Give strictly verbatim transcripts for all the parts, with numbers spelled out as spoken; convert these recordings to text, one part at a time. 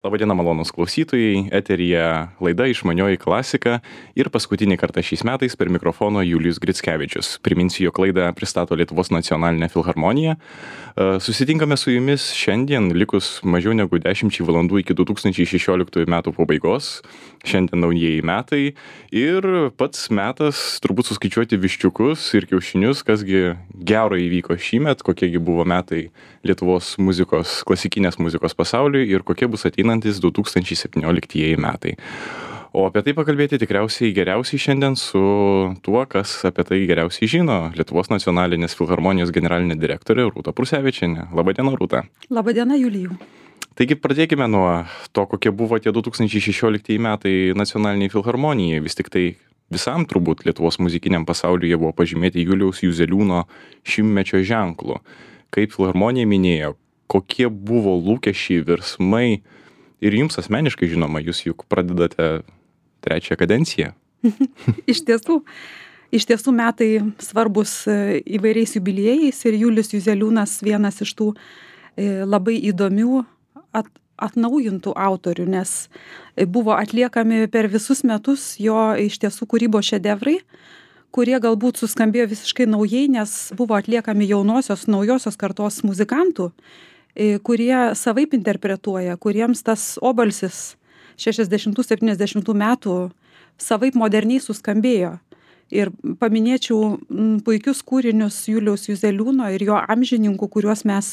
Labadiena, malonūs klausytojai, eteryje laida Išmanioji klasika ir paskutinį kartą šiais metais per mikrofono Julijus Grickevičius. Priminsiu, jog laidą pristato Lietuvos nacionalinė filharmonija. E, Susitinkame su jumis šiandien, likus mažiau negu dešimčiai valandų iki du tūkstančiai šešioliktųjų metų pabaigos. Šiandien naujieji metai ir pats metas turbūt suskaičiuoti viščiukus ir kiaušinius, kasgi gero įvyko šįmet, kokiegi buvo metai Lietuvos muzikos, klasikinės muzikos pasauliui ir kokie bus ateinantis du tūkstančiai septynioliktieji metai. O apie tai pakalbėti tikriausiai geriausiai šiandien su tuo, kas apie tai geriausiai žino, Lietuvos nacionalinės filharmonijos generalinė direktorė Rūta Prusevičienė. Labadiena, Rūta. Labadiena, Julijų. Taigi pradėkime nuo to, kokie buvo tie du tūkstančiai šešioliktieji metai nacionaliniai filharmonijai. Vis tik tai visam turbūt Lietuvos muzikiniam pasauliu jie buvo pažymėti Juliaus Juzeliūno šimtmečio ženklu. Kaip filharmonija minėjo, kokie buvo lūkesčiai, virsmai ir jums asmeniškai žinoma, jūs juk pradedate trečią kadenciją. Iš tiesų, iš tiesų metai svarbus įvairiais jubiliejais ir Julius Juzeliūnas vienas iš tų labai įdomių at, atnaujintų autorių, nes buvo atliekami per visus metus jo iš tiesų kūrybos šedevrai, kurie galbūt suskambėjo visiškai naujai, nes buvo atliekami jaunosios, naujosios kartos muzikantų, kurie savaip interpretuoja, kuriems tas obalsis šešiasdešimtų septyniasdešimtų metų savaip moderniai suskambėjo. Ir paminėčiau puikius kūrinius Juliaus Juzeliūno ir jo amžininkų, kuriuos mes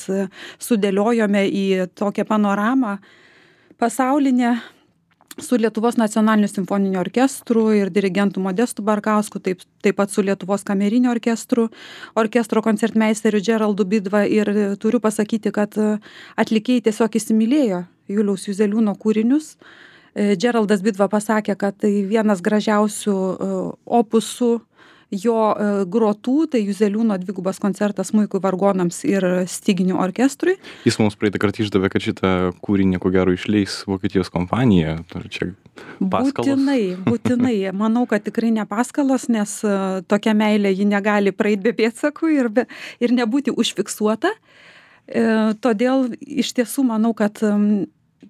sudėliojome į tokią panoramą pasaulinę su Lietuvos nacionaliniu simfoniniu orkestru ir dirigentu Modestu Barkausku, taip, taip pat su Lietuvos kameriniu orkestru, orkestro koncertmeisteriu Geraldu Bidva, ir turiu pasakyti, kad atlikėjai tiesiog įsimylėjo Juliaus Juzeliūno kūrinius. Geraldas Bidva pasakė, kad tai vienas gražiausių opusų jo grotų, tai Juzeliūno dvigubas koncertas smuikui, vargonams ir styginių orkestrui. Jis mums praeitą kartą išdavė, kad šitą kūrinį ko gero išleis Vokietijos kompanija. Ar čia paskalos? Būtinai, būtinai. Manau, kad tikrai ne paskalos, nes tokia meilė ji negali praeiti be pėdsakų ir, be, ir nebūti užfiksuota. E, todėl iš tiesų manau, kad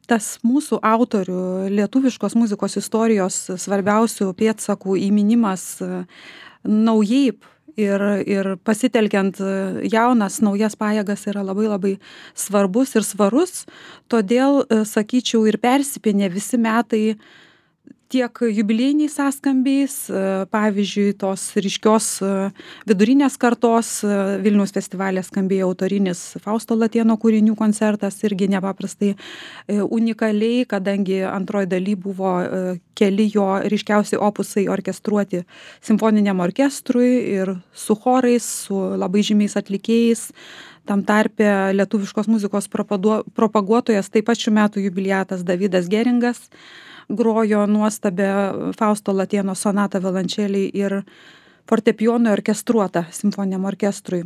tas mūsų autorių lietuviškos muzikos istorijos svarbiausių pėdsakų įminimas naujai ir, ir pasitelkiant jaunas, naujas pajėgas yra labai labai svarbus ir svarus. Todėl, sakyčiau, ir persipinė visi metai tiek jubiliejiniais sąskambiais, pavyzdžiui, tos ryškios vidurinės kartos Vilniaus festivalė skambėjo autorinis Fausto Latėno kūrinių koncertas, irgi nepaprastai unikaliai, kadangi antroji daly buvo keli jo ryškiausi opusai orkestruoti simfoniniam orkestrui ir su chorais, su labai žymiais atlikėjais. Tam tarpe lietuviškos muzikos propaguotojas, taip pat šių metų jubiliatas Davidas Geringas, grojo nuostabę Fausto Latėno sonatą violončelei ir fortepijonui orkestruotą simfoniniam orkestrui.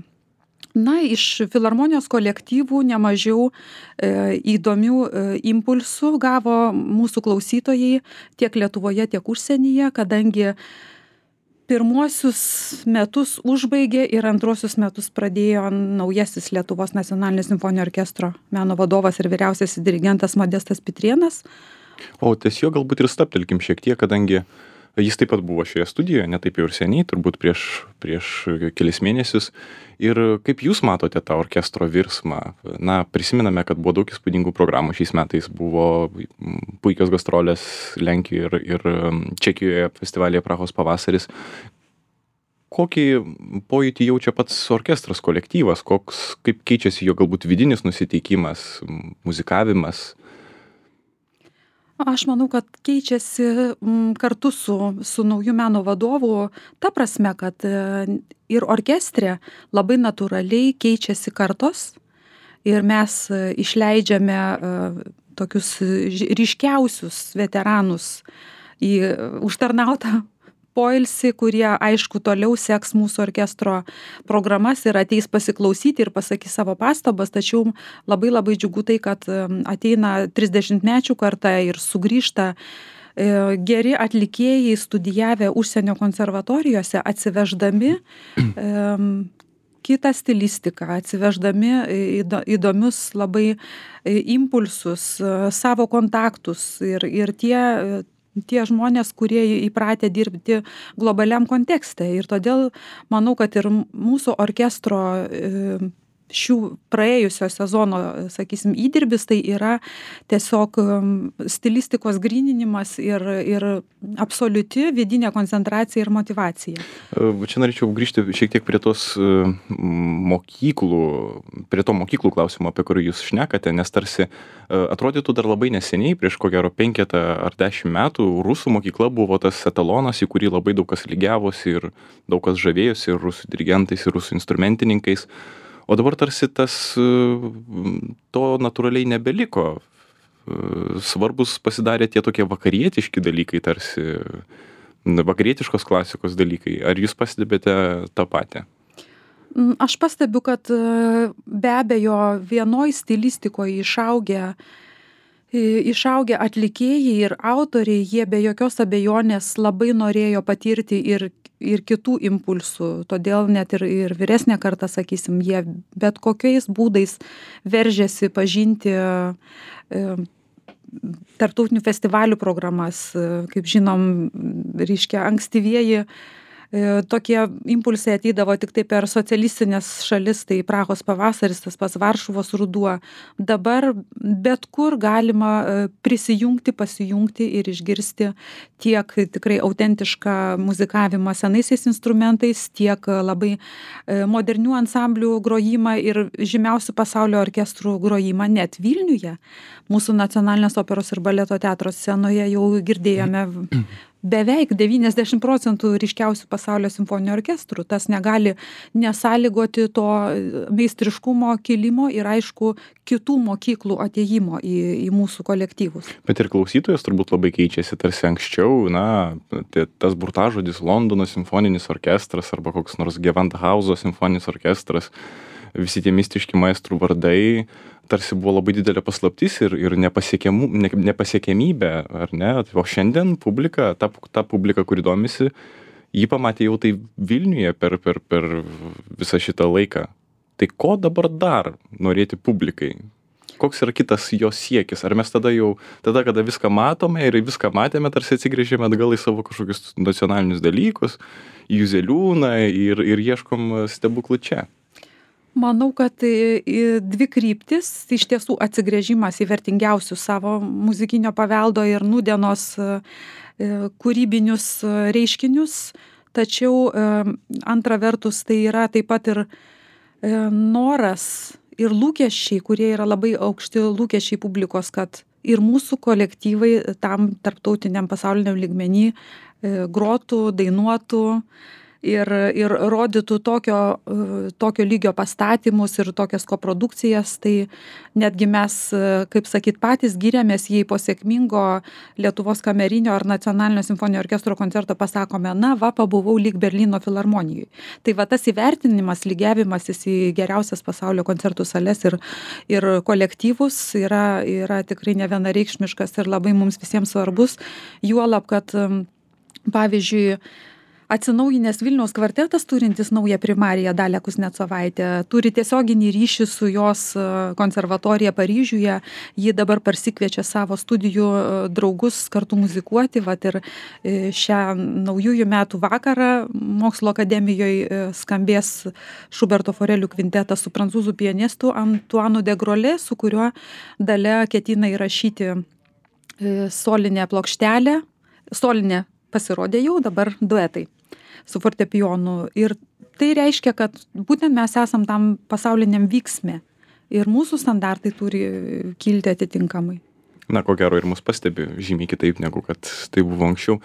Na, iš filharmonijos kolektyvų nemažiau e, įdomių e, impulsų gavo mūsų klausytojai tiek Lietuvoje, tiek užsienyje, kadangi pirmuosius metus užbaigė ir antruosius metus pradėjo naujasis Lietuvos nacionalinio simfoninio orkestro meno vadovas ir vyriausiasis dirigentas Modestas Pitrėnas. O ties jo galbūt ir staptelkim šiek tiek, kadangi jis taip pat buvo šioje studijoje, ne taip jau ir seniai, turbūt prieš, prieš kelis mėnesius. Ir kaip jūs matote tą orkestro virsmą? Na, prisiminame, kad buvo daug įspūdingų programų šiais metais, buvo puikios gastrolės Lenkijoje ir, ir Čekijoje festivalyje Prahos pavasaris. Kokį pojūtį jaučia pats orkestras, kolektyvas, koks, kaip keičiasi jo galbūt vidinis nusiteikimas, muzikavimas? Aš manau, kad keičiasi kartu su, su nauju meno vadovu ta prasme, kad ir orkestre labai natūraliai keičiasi kartos ir mes išleidžiame tokius ryškiausius veteranus į užtarnautą poilsį, kurie, aišku, toliau seks mūsų orkestro programas ir ateis pasiklausyti ir pasakys savo pastabas, tačiau labai labai džiugu tai, kad ateina trisdešimtmečių karta ir sugrįžta geri atlikėjai studijavę užsienio konservatorijose, atsiveždami kitą stilistiką, atsiveždami įdomius labai impulsus, savo kontaktus ir, ir tie, tie žmonės, kurie įpratę dirbti globaliam kontekste. Ir todėl manau, kad ir mūsų orkestro šių praėjusio sezono, sakysim, įdirbis tai yra tiesiog stilistikos gryninimas ir, ir absoliuti vidinė koncentracija ir motyvacija. Čia norėčiau grįžti šiek tiek prie tos mokyklų, prie to mokyklų klausimo, apie kurį jūs šnekate, nes tarsi atrodytų dar labai neseniai, prieš ko gero penketą ar dešimt metų, rusų mokykla buvo tas etalonas, į kurį labai daug kas lygiavosi ir daug kas žavėjosi ir rusų dirigentais, ir rusų instrumentininkais. O dabar tarsi tas, to natūraliai nebeliko. Svarbus pasidarė tie tokie vakarietiški dalykai, tarsi vakarietiškos klasikos dalykai. Ar jūs pastebite tą patį? Aš pastebiu, kad be abejo vienoj stilistikoje išaugę, išaugę atlikėjai ir autoriai, jie be jokios abejonės labai norėjo patirti ir ir kitų impulsų, todėl net ir, ir vyresnė karta, sakysim, jie bet kokiais būdais veržėsi pažinti e, tarptautinių festivalių programas, kaip žinom, reiškia ankstyvieji tokie impulsai ateidavo tik tai per socialistinės šalis, tai Prahos pavasaris, tas pats Varšuvos ruduo. Dabar bet kur galima prisijungti, pasijungti ir išgirsti tiek tikrai autentišką muzikavimą senaisiais instrumentais, tiek labai modernių ansamblių grojimą ir žymiausių pasaulio orkestrų grojimą net Vilniuje. Mūsų Nacionalinės operos ir baleto teatro scenoje jau girdėjome beveik devyniasdešimt procentų ryškiausių pasaulio simfoninių orkestrų. Tas negali nesąlygoti to meistriškumo kilimo ir aišku kitų mokyklų atėjimo į, į mūsų kolektyvus. Bet ir klausytojas turbūt labai keičiasi, tarsi anksčiau, na, tas burtažodis Londono simfoninis orkestras arba koks nors Gewandhauso simfoninis orkestras, visi tie mistiški maestrų vardai tarsi buvo labai didelė paslaptis ir, ir nepasiekiamų, ne, nepasiekiamybė, ar ne? O šiandien publika, ta, ta publika, kuri domisi, jį pamatė jau tai Vilniuje per, per, per visą šitą laiką. Tai ko dabar dar norėti publikai? Koks yra kitas jos siekis? Ar mes tada jau, tada, kada viską matome ir viską matėme, tarsi atsigrėžėme atgal į savo kažkokius nacionalinius dalykus, į Juzeliūną ir, ir ieškom stebuklų čia? Manau, kad dvi kryptis, iš tiesų atsigręžimas į vertingiausius savo muzikinio paveldo ir nūdienos kūrybinius reiškinius, tačiau antra vertus tai yra taip pat ir noras ir lūkesčiai, kurie yra labai aukšti lūkesčiai publikos, kad ir mūsų kolektyvai tam tarptautiniam pasauliniam lygmenį grotų, dainuotų, ir, ir rodytų tokio, tokio lygio pastatymus ir tokias koprodukcijas, tai netgi mes, kaip sakyt, patys giriamės, jei po sėkmingo Lietuvos kamerinio ar Nacionalinio simfoninio orkestro koncerto pasakome, na, va, pabuvau lyg Berlyno filharmonijoj. Tai va tas įvertinimas, lygiavimasis į geriausias pasaulio koncertų sales ir, ir kolektyvus yra, yra tikrai nevienareikšmiškas ir labai mums visiems svarbus, juolab, kad pavyzdžiui, atsinaujinęs Vilniaus kvartetas, turintis naują primariją Dalią Kuznecovaitę, turi tiesioginį ryšį su jos konservatorija Paryžiuje. Ji dabar parsikviečia savo studijų draugus kartu muzikuoti. Vat ir šią naujųjų metų vakarą Mokslo akademijoje skambės Šuberto Forelių kvintetas su prancūzų pianistu Antuanu de Grolė, su kuriuo Dalia ketina įrašyti solinę plokštelę. Solinė pasirodė jau, dabar duetai su fortepijonu. Ir tai reiškia, kad būtent mes esam tam pasauliniam vyksme ir mūsų standartai turi kilti atitinkamai. Na, ko gero ir mus pastebi žymiai kitaip, negu kad tai buvo anksčiau.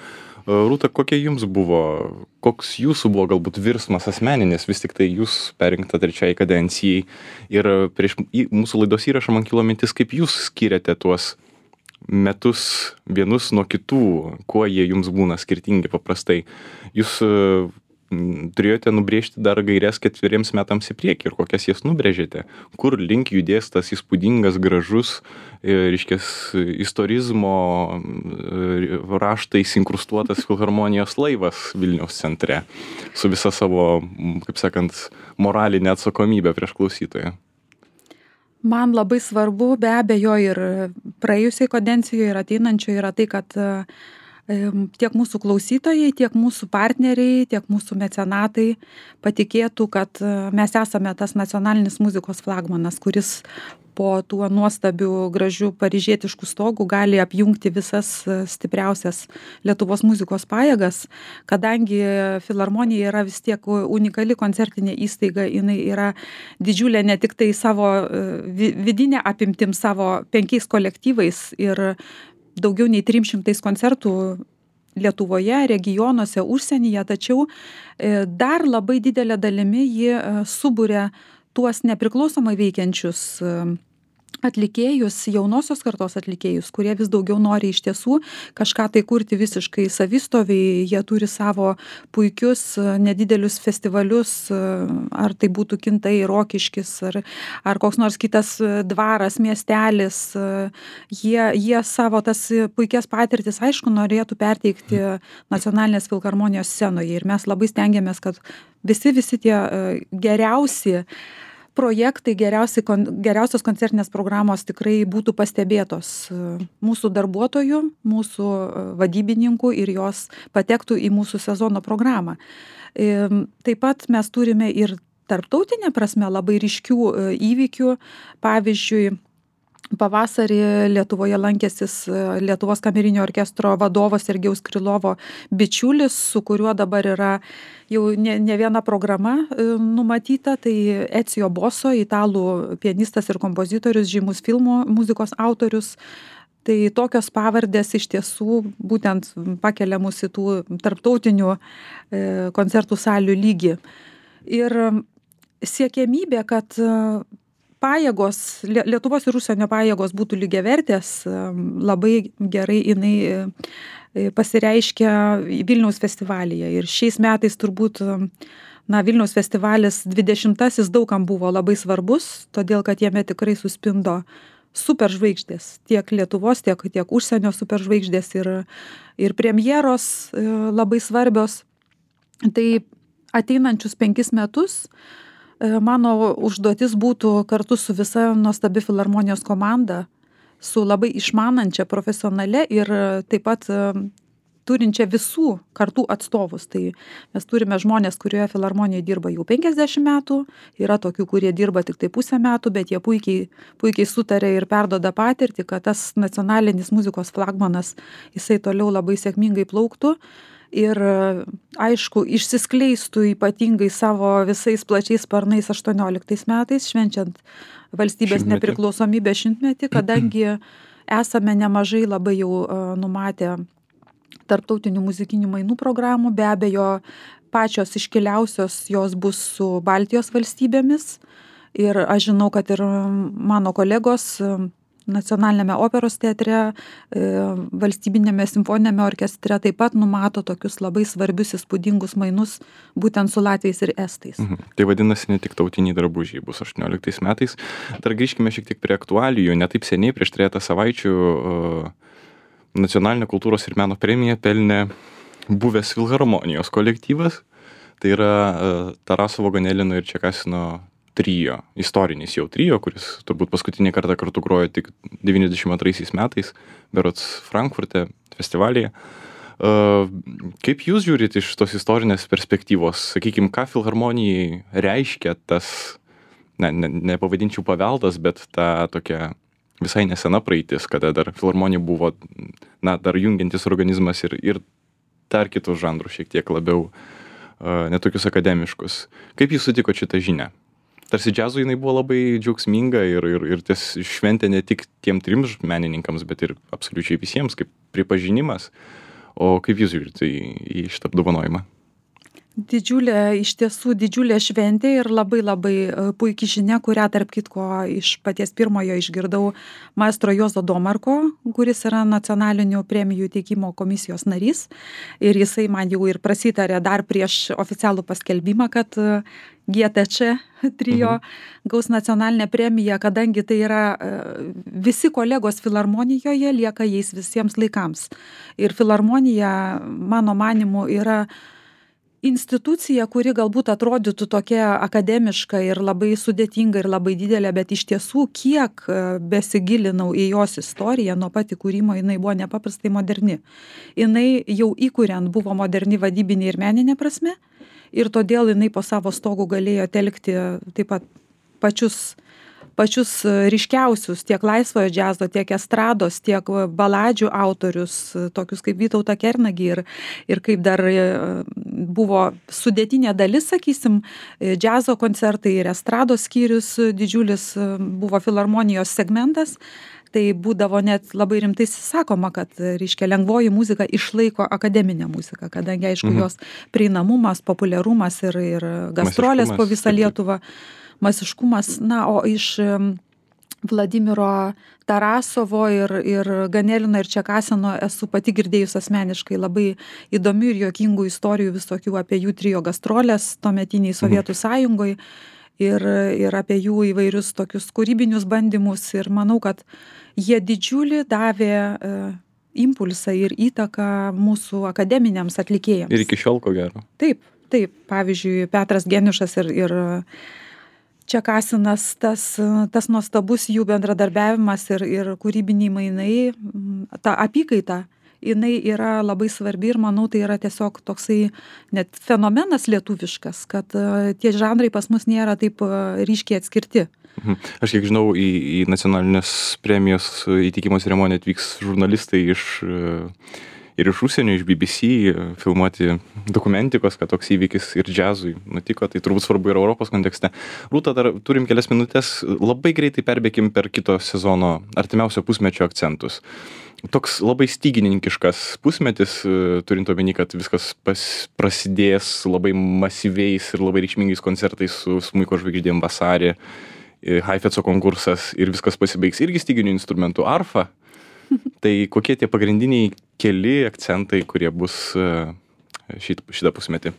Rūta, kokie jums buvo, koks jūsų buvo galbūt virsmas asmeninis, vis tik tai jūs perinkta trečiai kadencijai ir prieš mūsų laidos įrašą man kilo mintis, kaip jūs skiriate tuos metus vienus nuo kitų, kuo jie jums būna skirtingi paprastai. Jūs turėjote nubrėžti dar gaires ketveriems metams į priekį ir kokias jas nubrėžėte, kur link judės tas įspūdingas, gražus, reiškias, istorizmo raštais inkrustuotas filharmonijos laivas Vilniaus centre su visa savo, kaip sakant, moralinė atsakomybė prieš klausytoją. Man labai svarbu, be abejo, ir praėjusiai kadencijoje ir ateinančioje yra tai, kad tiek mūsų klausytojai, tiek mūsų partneriai, tiek mūsų mecenatai patikėtų, kad mes esame tas nacionalinis muzikos flagmanas, kuris po tuo nuostabiu, gražiu paryžietišku stogu gali apjungti visas stipriausias Lietuvos muzikos pajėgas, kadangi filharmonija yra vis tiek unikali koncertinė įstaiga, jinai yra didžiulė ne tik tai savo vidinė apimtim, savo penkiais kolektyvais ir daugiau nei trim šimtais koncertų Lietuvoje, regionuose, užsienyje, tačiau dar labai didelė dalimi ji suburia tuos nepriklausomai veikiančius atlikėjus, jaunosios kartos atlikėjus, kurie vis daugiau nori iš tiesų kažką tai kurti visiškai savistoviai, jie turi savo puikius nedidelius festivalius, ar tai būtų Kintai, Rokiškis, ar, ar koks nors kitas dvaras, miestelis, jie, jie savo tas puikias patirtis, aišku, norėtų perteikti nacionalinės filharmonijos scenoje ir mes labai stengiamės, kad visi, visi tie geriausi projektai, geriausi, geriausios koncertinės programos tikrai būtų pastebėtos mūsų darbuotojų, mūsų vadybininkų ir jos patektų į mūsų sezono programą. Taip pat mes turime ir tarptautinė prasme labai ryškių įvykių, pavyzdžiui, pavasarį Lietuvoje lankėsis Lietuvos kamerinio orkestro vadovas Sergejaus Krylovo bičiulis, su kuriuo dabar yra jau ne, ne viena programa numatyta, tai Ecio Boso, italų pianistas ir kompozitorius, žymus filmų muzikos autorius. Tai tokios pavardės iš tiesų būtent pakelia mus į tų tarptautinių koncertų salių lygį. Ir siekiamybė, kad pajėgos, Lietuvos ir užsienio pajėgos būtų lygiavertės, labai gerai jinai pasireiškia Vilniaus festivalyje. Ir šiais metais turbūt, na, Vilniaus festivalis dvidešimtasis daugam buvo labai svarbus, todėl kad jame tikrai suspindo superžvaigždės, tiek Lietuvos, tiek, tiek užsienio superžvaigždės ir, ir premjeros labai svarbios. Tai ateinančius penkis metus mano užduotis būtų kartu su visa nuostabi filharmonijos komanda, su labai išmanančia profesionale ir taip pat turinčia visų kartų atstovus. Tai mes turime žmonės, kurioje filharmonijoje dirba jau penkiasdešimt metų, yra tokių, kurie dirba tik tai pusę metų, bet jie puikiai, puikiai sutarė ir perdoda patirtį, kad tas nacionalinis muzikos flagmanas, jisai toliau labai sėkmingai plauktų. Ir aišku, išsiskleistų ypatingai savo visais plačiais sparnais aštuonioliktais metais, švenčiant valstybės šimtmetį. Nepriklausomybės šimtmetį, kadangi esame nemažai labai jau numatę tarptautinių muzikinių mainų programų, be abejo, pačios iškiliausios jos bus su Baltijos valstybėmis ir aš žinau, kad ir mano kolegos Nacionalinėme operos teatre, valstybinėme simfoninėme orkestre taip pat numato tokius labai svarbius įspūdingus mainus būtent su latviais ir estais. Mhm. Tai vadinasi, ne tik tautiniai drabužiai bus aštuonioliktais metais. Dar grįžkime šiek tiek prie aktualijų. Ne taip seniai, prieš trejatą savaičių Nacionalinė kultūros ir meno premiją pelnė buvęs filharmonijos kolektyvas. Tai yra Tarasovo, Ganelino ir Čekasino trio, istorinis jau trio, kuris turbūt paskutinį kartą kartu grojo tik devyniasdešimt antraisiais metais, berods Frankfurte festivalyje. Kaip jūs žiūrite iš tos istorinės perspektyvos? Sakykime, ką filharmonijai reiškia tas, ne, ne, nepavadinčiau paveldas, bet ta tokia visai nesena praeitis, kada dar filharmonija buvo, na, dar jungiantis organizmas ir, ir dar kitus žanrus šiek tiek labiau, netokius akademiškus. Kaip jūs sutiko šitą žinią? Tarsi džiazui jinai buvo labai džiaugsminga ir, ir, ir ties šventė ne tik tiem trims menininkams, bet ir absoliučiai visiems, kaip pripažinimas. O kaip jūs žiūrite į, į šitą apdovanojimą? Didžiulė, iš tiesų didžiulė šventė ir labai labai puikiai žinia, kurią tarp kitko iš paties pirmojo išgirdau maestro Juozo Domarko, kuris yra nacionalinių premijų teikimo komisijos narys. Ir jisai man jau ir prasitarė dar prieš oficialų paskelbimą, kad G T C trio mhm. gaus nacionalinę premiją, kadangi tai yra visi kolegos filharmonijoje lieka jais visiems laikams. Ir filharmonija, mano manimu, yra institucija, kuri galbūt atrodytų tokia akademiška ir labai sudėtinga ir labai didelė, bet iš tiesų, kiek besigilinau į jos istoriją, nuo pat įkūrimo jinai buvo nepaprastai moderni. Jinai jau įkuriant buvo moderni vadybinė ir meninė prasme ir todėl jinai po savo stogu galėjo telkti taip pat pačius pačius ryškiausius tiek laisvojo džiazo, tiek estrados, tiek baladžių autorius, tokius kaip Vytautą Kernagį ir, ir kaip dar buvo sudėtinė dalis, sakysim, džiazo koncertai ir estrados skyrius didžiulis buvo filharmonijos segmentas. Tai būdavo net labai rimtai sakoma, kad, reiškia, lengvoji muzika išlaiko akademinę muziką, kadangi, aišku, mhm. jos prieinamumas, populiarumas ir, ir gastrolės po visą Lietuvą. Masiškumas, na, o iš Vladimiro Tarasovo ir, ir Ganelino ir Čekasino esu pati girdėjus asmeniškai labai įdomių ir juokingų istorijų visokių apie jų trio gastrolės tuometiniai Sovietų mhm. sąjungoje ir, ir apie jų įvairius tokius kūrybinius bandymus ir manau, kad jie didžiulį davė e, impulsą ir įtaką mūsų akademiniams atlikėjams. Ir iki šiol ko gero. Taip, taip, pavyzdžiui, Petras Geniušas ir, ir Čekasinas, tas, tas nuostabus jų bendradarbiavimas ir, ir kūrybiniai mainai, ta apykaita, jinai yra labai svarbi ir manau, tai yra tiesiog toksai net fenomenas lietuviškas, kad tie žanrai pas mus nėra taip ryškiai atskirti. Aš kiek žinau, į, į nacionalinės premijos įteikimo ceremoniją atvyks žurnalistai iš ir iš užsienio, iš B B C filmuoti dokumentikos, kad toks įvykis ir džiazui nutiko, tai turbūt svarbu ir Europos kontekste. Rūta, dar turim kelias minutės, labai greitai perbėkim per kito sezono artimiausio pusmečio akcentus. Toks labai stygininkiškas pusmetis, turint omeny, kad viskas pas, prasidės labai masyviais ir labai reikšmingais koncertais su smuiko žvaigždėm vasarį, Haifetco konkursas ir viskas pasibaigs irgi styginių instrumentų arfa. Tai kokie tie pagrindiniai keli akcentai, kurie bus šit, šitą pusmetį?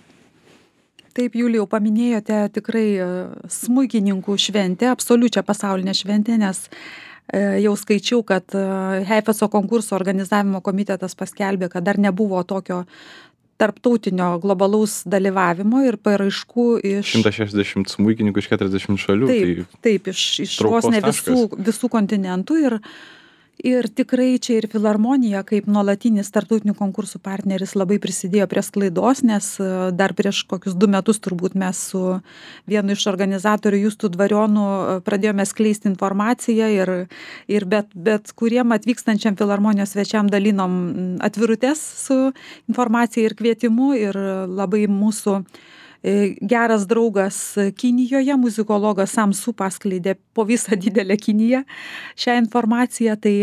Taip, Julijau, paminėjote tikrai smuikininkų šventę, absoliučią pasaulinę šventę, nes jau skaičiau, kad Haifetco konkurso organizavimo komitetas paskelbė, kad dar nebuvo tokio tarptautinio globalaus dalyvavimo ir paraiškų iš... šimtas šešiasdešimt smuikininkų iš keturiasdešimt šalių. Taip, tai taip iš, iš vos ne visų, visų kontinentų ir Ir tikrai čia ir filharmonija, kaip nuolatinis tarptautinių konkursų partneris, labai prisidėjo prie sklaidos, nes dar prieš kokius du metus turbūt mes su vienu iš organizatorių Justu Dvarionu pradėjome skleisti informaciją ir, ir bet, bet kuriem atvykstančiam filharmonijos svečiam dalinom atvirutes su informacija ir kvietimu ir labai mūsų geras draugas Kinijoje, muzikologas Samsu paskleidė po visą didelę Kiniją šią informaciją, tai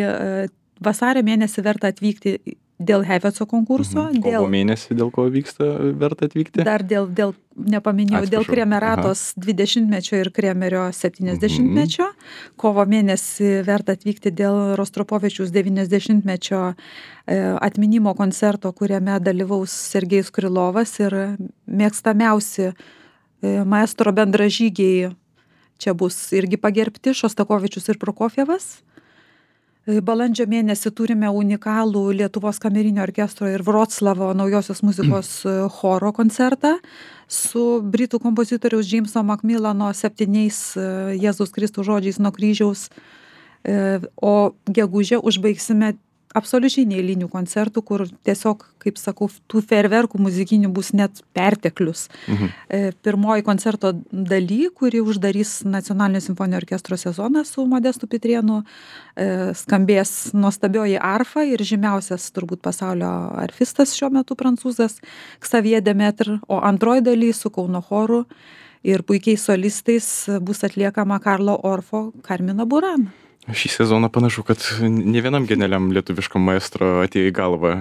vasario mėnesį verta atvykti dėl Haifetco konkurso. Mhm. Dėl, kovo mėnesį dėl ko vyksta verta atvykti? Dar dėl, dėl nepaminėjau, dėl Kremeratos dvidešimtmečio ir Kremerio septyniasdešimtmečio. Mhm. Kovo mėnesį verta atvykti dėl Rostropovičiaus devyniasdešimtmečio atminimo koncerto, kuriame dalyvaus Sergejus Krylovas ir mėgstamiausi maestro bendražygiai čia bus irgi pagerbti, Šostakovičius ir Prokofjevas. Balandžio mėnesį turime unikalų Lietuvos kamerinio orkestro ir Vroclavo naujosios muzikos choro koncertą su britų kompozitoriaus Jameso Macmillano septyniais Jėzaus Kristų žodžiais nuo kryžiaus, o gegužę užbaigsime absoliučiai neeilinių koncertų, kur tiesiog, kaip sakau, tų fejerverkų muzikinių bus net perteklius. Mhm. Pirmoji koncerto daly, kuri uždarys Nacionalinio simfoninio orkestro sezoną su Modestu Pitrėnu, skambės nuostabioji arfa ir žymiausias turbūt pasaulio arfistas šiuo metu prancūzas Xavier Demetre, o antroji daly su Kauno choru ir puikiais solistais bus atliekama Karlo Orfo Carmina Burana. Šį sezoną panašu, kad ne vienam genialiam lietuviškam maestro atėjo į galvą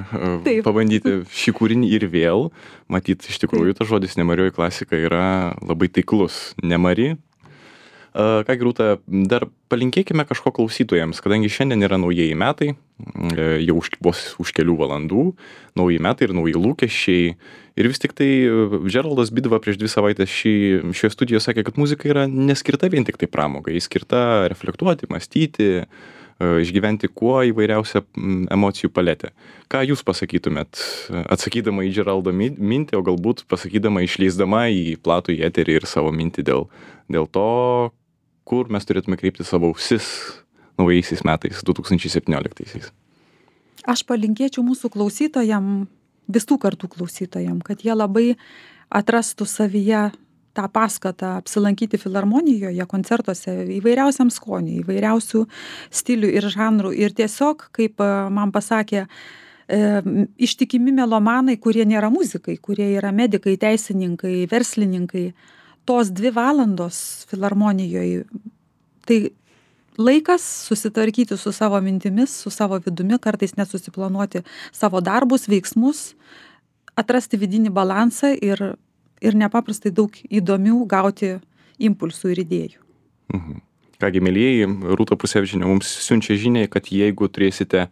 Taip. pabandyti šį kūrinį ir vėl. Matyt, iš tikrųjų, tas žodis nemarioji klasika yra labai taiklus. Nemari. Ką, Rūta, dar palinkėkime kažko klausytojams, kadangi šiandien yra naujieji metai, jau už, vos už kelių valandų, nauji metai ir nauji lūkesčiai. Ir vis tik tai Geraldas Bidva prieš dvi savaitės šį, šioje studijoje sakė, kad muzika yra neskirta vien tik tai pramogai, jis skirta reflektuoti, mąstyti, išgyventi kuo įvairiausią emocijų paletę. Ką jūs pasakytumėt, atsakydama į Geraldo mintį, o galbūt pasakydama, išleisdama į platų į eterį ir savo mintį dėl, dėl to, kur mes turėtume kreipti savo ausis naujaisiais metais, du tūkstančiai septynioliktaisiais? Aš palinkėčiau mūsų klausytojam, visų kartų klausytojam, kad jie labai atrastų savyje tą paskatą apsilankyti filharmonijoje, koncertuose, įvairiausiam skoniui, įvairiausių stilių ir žanrų. Ir tiesiog, kaip man pasakė, e, ištikimi melomanai, kurie nėra muzikai, kurie yra medikai, teisininkai, verslininkai, tos dvi valandos filharmonijoje, tai laikas susitvarkyti su savo mintimis, su savo vidumi, kartais nesusiplanuoti savo darbus, veiksmus, atrasti vidinį balansą ir, ir nepaprastai daug įdomių gauti impulsų ir idėjų. Mhm. Kągi, mielieji, Rūta Prusevičienė mums siunčia žinią, kad jeigu turėsite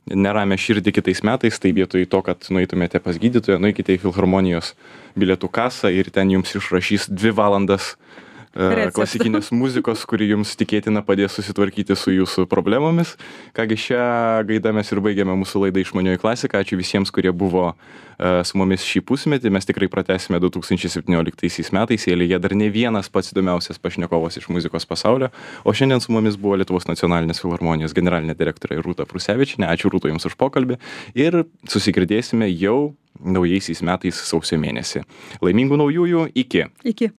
neramę širdį kitais metais, tai vietoj to, kad nueitumėte pas gydytoją, nueikite į filharmonijos bilietų kasą ir ten jums išrašys dvi valandas uh, klasikinės muzikos, kuri jums tikėtina padės susitvarkyti su jūsų problemomis. Kągi, šią gaidą mes ir baigėme mūsų laidą Išmanioji klasika. Ačiū visiems, kurie buvo uh, su mumis šį pusmetį. Mes tikrai pratęsime du tūkstančiai septynioliktaisiais metais. Eilėje dar ne vienas pats įdomiausias pašnekovas iš muzikos pasaulio. O šiandien su mumis buvo Lietuvos nacionalinės filharmonijos generalinė direktorė Rūta Prusevičienė. Ačiū, Rūta, jums už pokalbį. Ir susigirdėsime jau naujaisiais metais sausio mėnesį. Laimingų naujųjų. Iki. Iki.